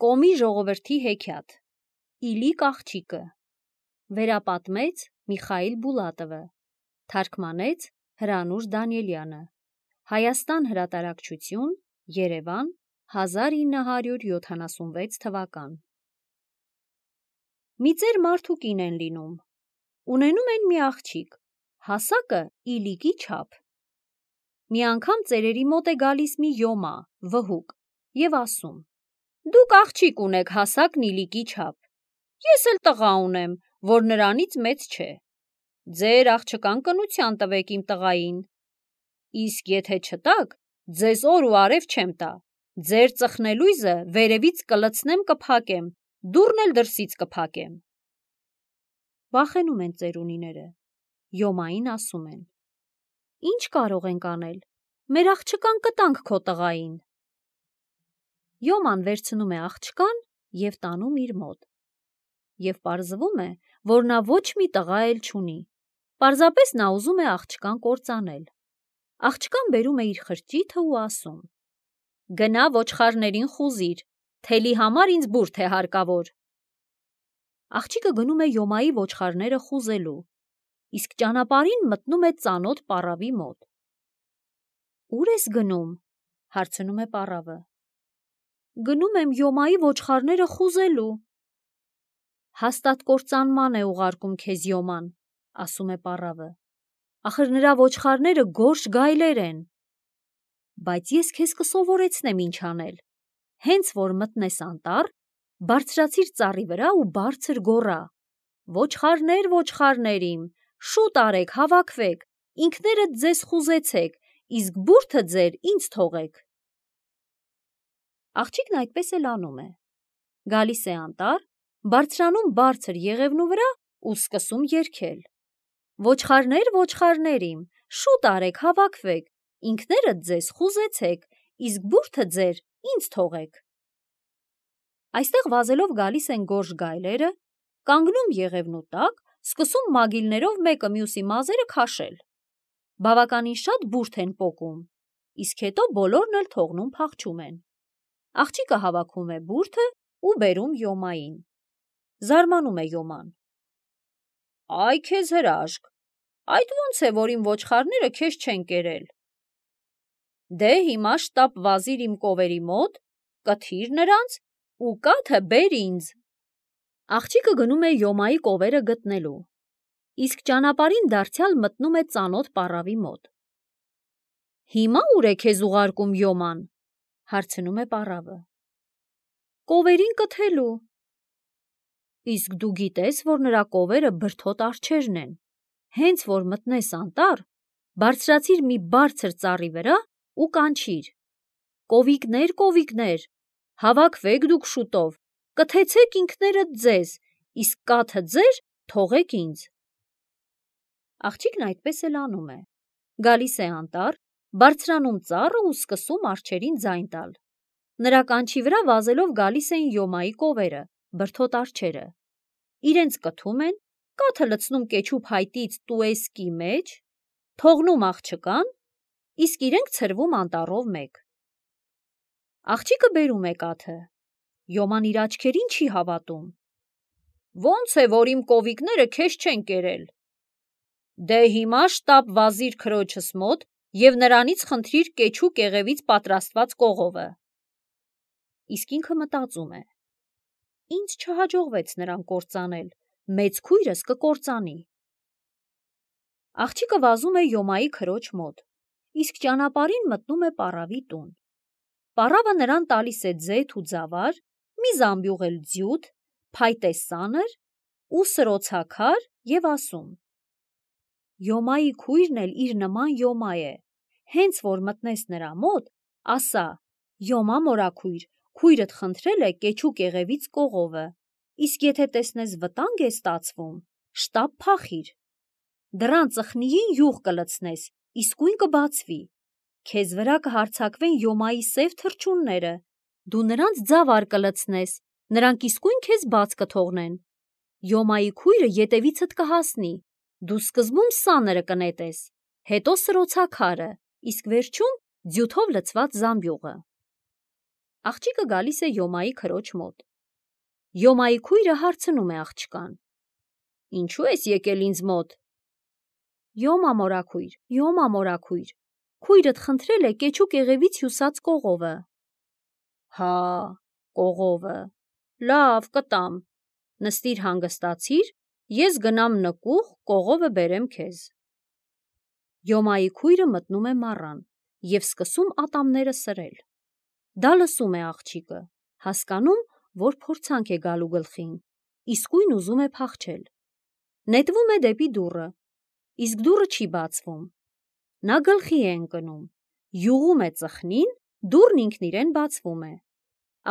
Կոմի ժողովրդի հեքիաթ, Իլիկ աղջիկը, վերապատմեց Միխայիլ Բուլատովը, թարգմանեց Հրանուշ Դանիելյանը, Հայաստան հրատարակչություն, Երևան, 1976 թվական։ Մի ծեր մարդու կին են լինում, ունենում են մի աղջիկ, հասակը Իլիկի չափ։ Մի անգամ ծերերի մոտ է գալիս մի յոմա, վհուկ, և ասում. «Դուք աղջիկ ունեք հասակն Իլիկի չափ, ես էլ տղա ունեմ, որ նրանից մեծ չէ, ձեր աղջկան կնության տվեք իմ տղային, իսկ եթե չտաք, ձեզ օր ու արև չեմ տա, ձեր ծխնելույզը վերևից կլցնեմ կփակեմ, դուռն էլ դրսից կփակեմ»։ Վախենում են ծերունիները, յոմային ասում են. «Ինչ կարող ենք անել, մեր աղջկան կտանք քո տղային»։ Յոման վերցնում է աղջկան և տանում իր մոտ, և պարզվում է, որ նա ոչ մի տղա էլ չունի, պարզապես նա ուզում է աղջկան կործանել։ Աղջկան բերում է իր խրճիթը ու ասում. «Գնա ոչխարներին խուզիր, թելի համար ինձ բուրդ է հարկավոր»։ Աղջիկը գնում է յոմայի ոչխարները խուզելու, իսկ ճանապարհին մտնում է ծանոթ պառավի մոտ։ «Ուր ես գնում»՝ հարցնում է պառավը։ «Գնում եմ յոմայի ոչխարները խուզելու»։ «Հաստատ կործանման է ուղարկում քեզ յոման», ասում է պառավը, «ախր նրա ոչխարները գորշ գայլեր են»։ «Բայց ես քեզ կսովորեցնեմ ինչ անել, հենց որ մտնես անտառ, բարձրացիր ծառի վրա ու բարձր գոռա. «Ոչխարներ, ոչխարներ իմ, շուտ արեք, հավաքվեք, ինքներդ ձեզ խուզեցեք, իսկ բուրդը ձեր ինձ թողեք»։ Աղջիկն այդպես էլ անում է, գալիս է անտառ, բարձրանում բարձր եղևնու վրա ու սկսում երգել. «Ոչխարներ, ոչխարներ իմ, շուտ արեք, հավաքվեք, ինքներդ ձեզ խուզեցեք, իսկ բուրդը ձեր ինձ թողեք»։ Այստեղ վազելով գալիս են գորշ գայլերը, կանգնում եղևնու տակ, սկսում մագիլներով մեկը մյուսի մազերը քաշել։ Բավականին շատ բուրդ են պոկում, իսկ հետո բոլորն էլ թողնում փախչում են։ Աղջիկը հավաքում է բուրդը ու բերում յոմային։ Զարմանում է յոման. «Այ քեզ հրաշք, այդ ո՞նց է, որ իմ ոչխարները քեզ չեն կերել։ Դե հիմա շտապ վազիր իմ կովերի մոտ, կթիր նրանց ու կաթը բեր ինձ»։ Աղջիկը գնում է յոմայի կովերը գտնելու, իսկ ճանապարհին դարձյալ մտնում է ծանոթ պառավի մոտ։ «Հիմա ուր է քեզ ուղարկում յոման»՝ հարցնում է պառավը։ «Կովերին կթելու»։ «Իսկ դու գիտես, որ նրա կովերը բրդոտ արջերն են, հենց որ մտնես անտառ, բարձրացիր մի բարձր ծառի վրա ու կանչիր. «Կովիկներ, կովիկներ, հավաքվեք դուք շուտով, կթեցեք ինքներդ ձեզ, իսկ կաթը ձեր թողեք ինձ»։ Աղջիկն այդպես էլ անում է, գալիս է անտառ, բարձրանում ծառը ու սկսում արջերին ձայն տալ։ Նրա կանչի վրա վազելով գալիս են յոմայի կովերը, բրդոտ արջերը, իրենց կթում են, կաթը լցնում կեչու փայտից տուեսկի մեջ, թողնում աղջկան, իսկ իրենք ցրվում անտառով մեկ։ Աղջիկը բերում է կաթը, յոման իր աչքերին չի հավատում. «Ո՞նց է, որ իմ կովիկները քեզ չեն կերել։ Դե հիմա շտապ վազիր քրոջս մոտ և նրանից խնդրիր կեչու կեղևից պատրաստված կողովը»։ Իսկ ինքը մտածում է. «Ինձ չհաջողվեց նրան կործանել, մեծ քույրս կկործանի»։ Աղջիկը վազում է յոմայի քրոջ մոտ, իսկ ճանապարհին մտնում է պառավի տուն։ Պառավը նրան տալիս է ձեթ ու ձավար, մի զամբյուղ էլ ձյութ, փայտե սանր ու սրոցաքար և ասում. «Յոմայի քույրն էլ իր նման յոմա է, հենց որ մտնես նրա մոտ, ասա. «Յոմա մորաքույր, քույրդ խնդրել է կեչու կեղևից կողովը, իսկ եթե տեսնես վտանգ է ստացվում, շտապ փախիր. դռան ծխնիին յուղ կլցնես, իսկույն կբացվի, քեզ վրա կհարձակվեն յոմայի սև թռչունները, դու նրանց ձավար կլցնես, նրանք իսկույն քեզ բաց կթողնեն, յոմայի քույրը ետևիցդ կհասնի, դու սկզբում սանրը կնետես, հետո սրոցաքարը, իսկ վերջում ձյութով լցված զամբյուղը»։ Աղջիկը գալիս է Յոմայի քրոջ մոտ։ Յոմայի քույրը հարցնում է աղջկան. «Ինչու ես եկել ինձ մոտ»։ «Յոմա մորաքույր, Յոմա մորաքույր, քույրդ խնդրել է կեչու կեղևից հյուսած կողովը»։ «Հա, կողովը, լավ, կտամ, նստիր հանգստացիր, ես գնամ նկուղ, կողովը բերեմ քեզ»։ Յոմայի քույրը մտնում է մառան և սկսում ատամները սրել։ Դա լսում է աղջիկը, հասկանում, որ փորձանք է գալու գլխին, իսկույն ուզում է փախչել։ Նետվում է դեպի դուռը, իսկ դուռը չի բացվում։ Նա գլխի է ընկնում, յուղում է ծխնին, դուռն ինքն իրեն բացվում է։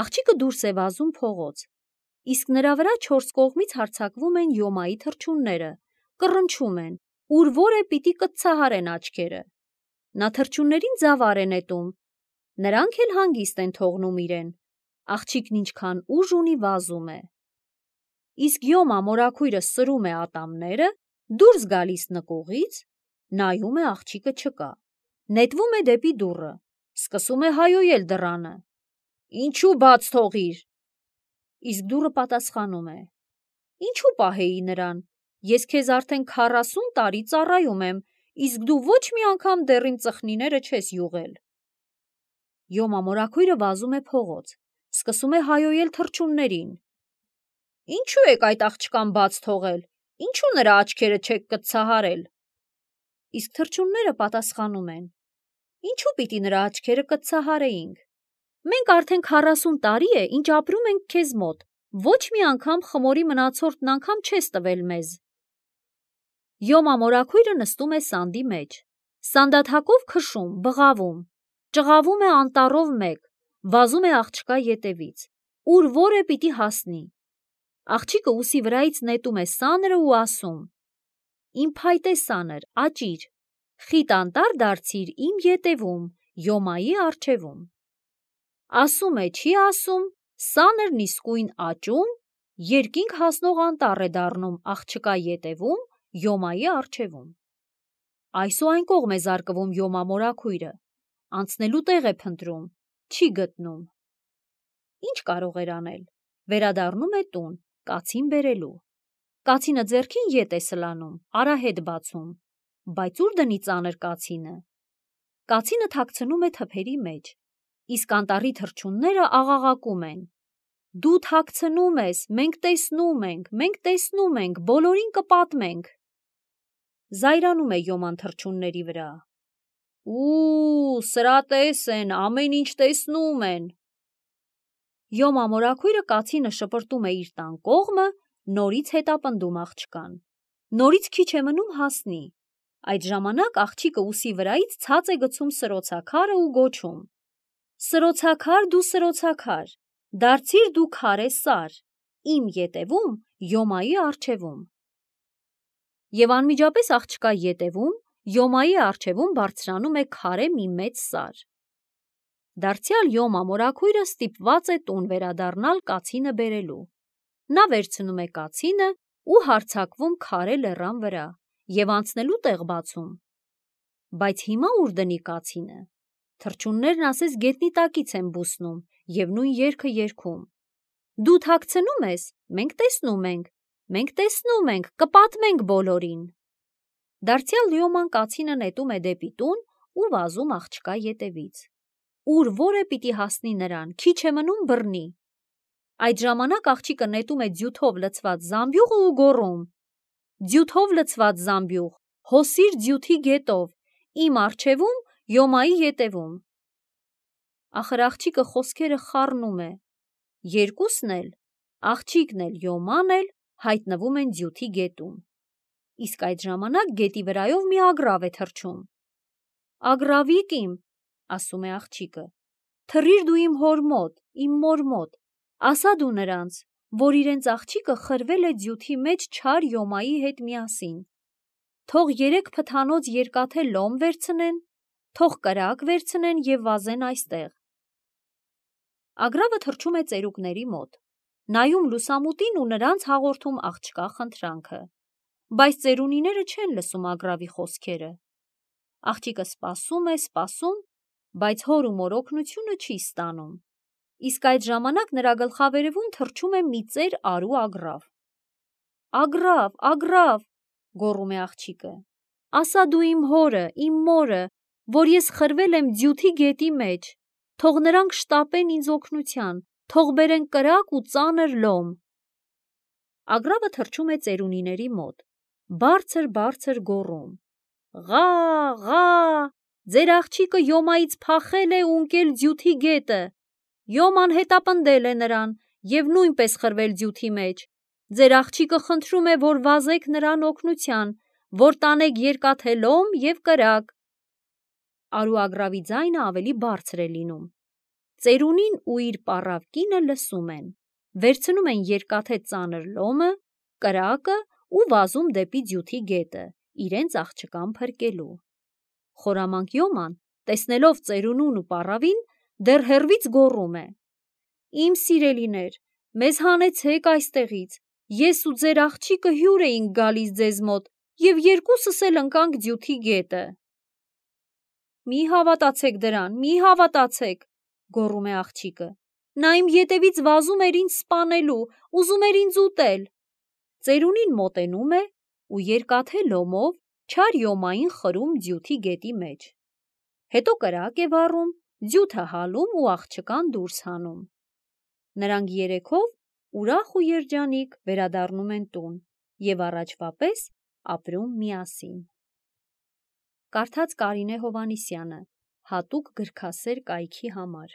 Աղջիկը դուրս է վազում փողոց, իսկ նրա վրա չորս կողմից հարձակվում են Յոմայի թռչունները, կռնչում են, ուր որ է պիտի կծցահարեն աչքերը։ Նա թռչուններին ձավար է նետում, նրանք էլ հանգիստ են թողնում իրեն։ Աղջիկն ինչքան ուժ ունի վազում է։ Իսկ Յոմա մորաքույրը սրում է ատամները, դուրս գալիս նկուղից, նայում է աղջիկը չկա, նետվում է դեպի դուռը, սկսում է հայոյել դռանը. «Ինչու բաց թողիր»։ Իսկ դուռը պատասխանում է. «Ինչու պահեի նրան, ես քեզ արդեն 40 տարի ծառայում եմ, իսկ դու ոչ մի անգամ դեռ իմ ծխնիները չես յուղել»։ Յոմա մորաքույրը վազում է փողոց, սկսում է հայոյել թռչուններին. «Ինչու եք այդ աղջկան բաց թողել, ինչու նրա աչքերը չեք կծցահարել»։ Իսկ թռչունները պատասխանում են. «Ինչու պիտի նրա աչքերը կծցահարեինք, մենք արդեն 40 տարի է, ինչ ապրում ենք քեզ մոտ, ոչ մի անգամ խմորի մնացորդն անգամ չես տվել մեզ»։ Յոմա մորաքույրը նստում է սանդի մեջ, սանդաթակով քշում, բղավում, ճղավում է անտառով մեկ, վազում է աղջկա ետևից, ուր որ է պիտի հասնի։ Աղջիկը ուսի վրայից նետում է սանրը ու ասում. «Իմ փայտե սանր, աճիր, խիտ անտառ դարձիր իմ ետևում, Յոմայի առջևում»։ Ասում է, չի ասում, սանրն իսկույն աճում, երկինք հասնող անտառ է դառնում աղջկա ետևում, Յոմայի առջևում։ Այս ու այն կողմ է զարկվում Յոմա մորաքույրը, անցնելու տեղ է փնտրում, չի գտնում։ Ինչ կարող էր անել, վերադառնում է տուն, կացին բերելու։ Կացինը ձեռքին ետ է սլանում, արահետ բացում, բայց ուր դնի ծանր կացինը։ Կացինը թաքցնում է թփերի մեջ, իսկ անտառի թռչունները աղաղակում են. «Դու թաքցնում ես, մենք տեսնում ենք, բոլորին կպատմենք»։ Զայրանում է Յոման թռչունների վրա. «Ու, սրատես են, ամեն ինչ տեսնում են»։ Յոմա մորաքույրը կացինը շպրտում է իր տան կողմը, նորից հետապնդում աղջկան։ Նորից քիչ է մնում հասնի։ Այդ ժամանակ աղջիկը ուսի վրայից ցած է գցում սրոցաքարը ու գոչում. «Սրոցաքար դու սրոցաքար, դարձիր դու քարե սար, իմ ետևում, Յոմայի առջևում»։ Եվ անմիջապես աղջկա ետևում, Յոմայի առջևում բարձրանում է քարե մի մեծ սար։ Դարձյալ Յոմա մորաքույրը ստիպված է տուն վերադառնալ կացինը բերելու։ Նա վերցնում է կացինը ու հարձակվում քարե լեռան վրա և անցնելու տեղ բացում։ Բայց հիմա ուր դնի կացինը։ Թռչուններն ասես գետնի տակից են բուսնում և նույն երգը երգում. «Դու թաքցնում ես, մենք տեսնում ենք, կպատմենք բոլորին»։ Դարձյալ Յոման կացինը նետում է դեպի տուն ու վազում աղջկա ետևից, ուր որ է պիտի հասնի նրան, քիչ է մնում բռնի։ Այդ ժամանակ աղջիկը նետում է ձյութով լցված զամբյուղը ու գոռում. «Ձյութով լցված զամբյուղ, հոսիր ձյութի գետով, իմ առջևում, Յոմայի ետևում»։ Ախր աղջիկը խոսքերը խառնում է։ Երկուսն էլ, աղջիկն էլ Յոման էլ, հայտնվում են ձյութի գետում։ Իսկ այդ ժամանակ գետի վրայով մի ագռավ է թռչում։ «Ագռավիկ իմ», ասում է աղջիկը, «թռիր դու իմ հոր մոտ, իմ մոր մոտ, ասա դու նրանց, որ իրենց աղջիկը խրվել է ձյութի մեջ չար Յոմայի հետ միասին։ Թող 3 փթանոց երկաթե լոմ վերցնեն, թող կրակ վերցնեն և վազեն այստեղ»։ Ագռավը թռչում է ծերուկների մոտ, նայում լուսամուտին ու նրանց հաղորդում աղջկա խնդրանքը, բայց ծերունիները չեն լսում ագռավի խոսքերը։ Աղջիկը սպասում է, բայց հոր ու մոր օգնությունը չի ստանում։ իսկ այդ ժամանակ նրա գլխավերևում թռչում է մի ծեր արու ագռավ։ «Ագռավ, ագռավ», գոռում է աղջիկը, ասա դու իմ հորը, իմ մորը, որ ես խրվել եմ ձյութի գետի մեջ, թող նրանք շտապեն ինձ օգնության, թող բերեն կրակ ու ծանր լոմ։ Ագռավը թռչում է ծերունիների մոտ, բարձր գոռում. «Ղա, ղա, ձեր աղջիկը Յոմայից փախել է ու ընկել ձյութի գետը, Յոման հետապնդել է նրան և նույնպես խրվել ձյութի մեջ, ձեր աղջիկը խնդրում է, որ վազեք նրան օգնության, որ տանեք երկաթե լոմ և կրակ»։ Արու ագռավի ձայնը ավելի բարձր է լինում։ Ծերունին ու իր պառավ կինը լսում են, վերցնում են երկաթե ծանր լոմը, կրակը ու վազում դեպի ձյութի գետը, իրենց աղջկան փրկելու։ Խորամանկ Յոման, տեսնելով ծերունուն ու պառավին, դեռ հեռվից գոռում է. «Իմ սիրելիներ, մեզ հանեցեք այստեղից, ես ու ձեր աղջիկը հյուր էինք գալիս ձեզ մոտ և երկուսս էլ ընկանք ձյութի գետը»։ «Մի հավատացեք դրան, մի հավատացեք», գոռում է աղջիկը, «նա իմ ետևից վազում էր ինձ սպանելու, ուզում էր ինձ ուտել»։ Ծերունին մոտենում է ու երկաթե լոմով չար Յոմային խրում ձյութի գետի մեջ։ Հետո կրակ է վառում, ձյութը հալում ու աղջկան դուրս հանում։ Նրանք երեքով ուրախ ու երջանիկ վերադառնում են տուն և առաջվա պես ապրում միասին։ Կարդաց Կարինե Հովհաննիսյանը, հատուկ գրքասեր կայքի համար։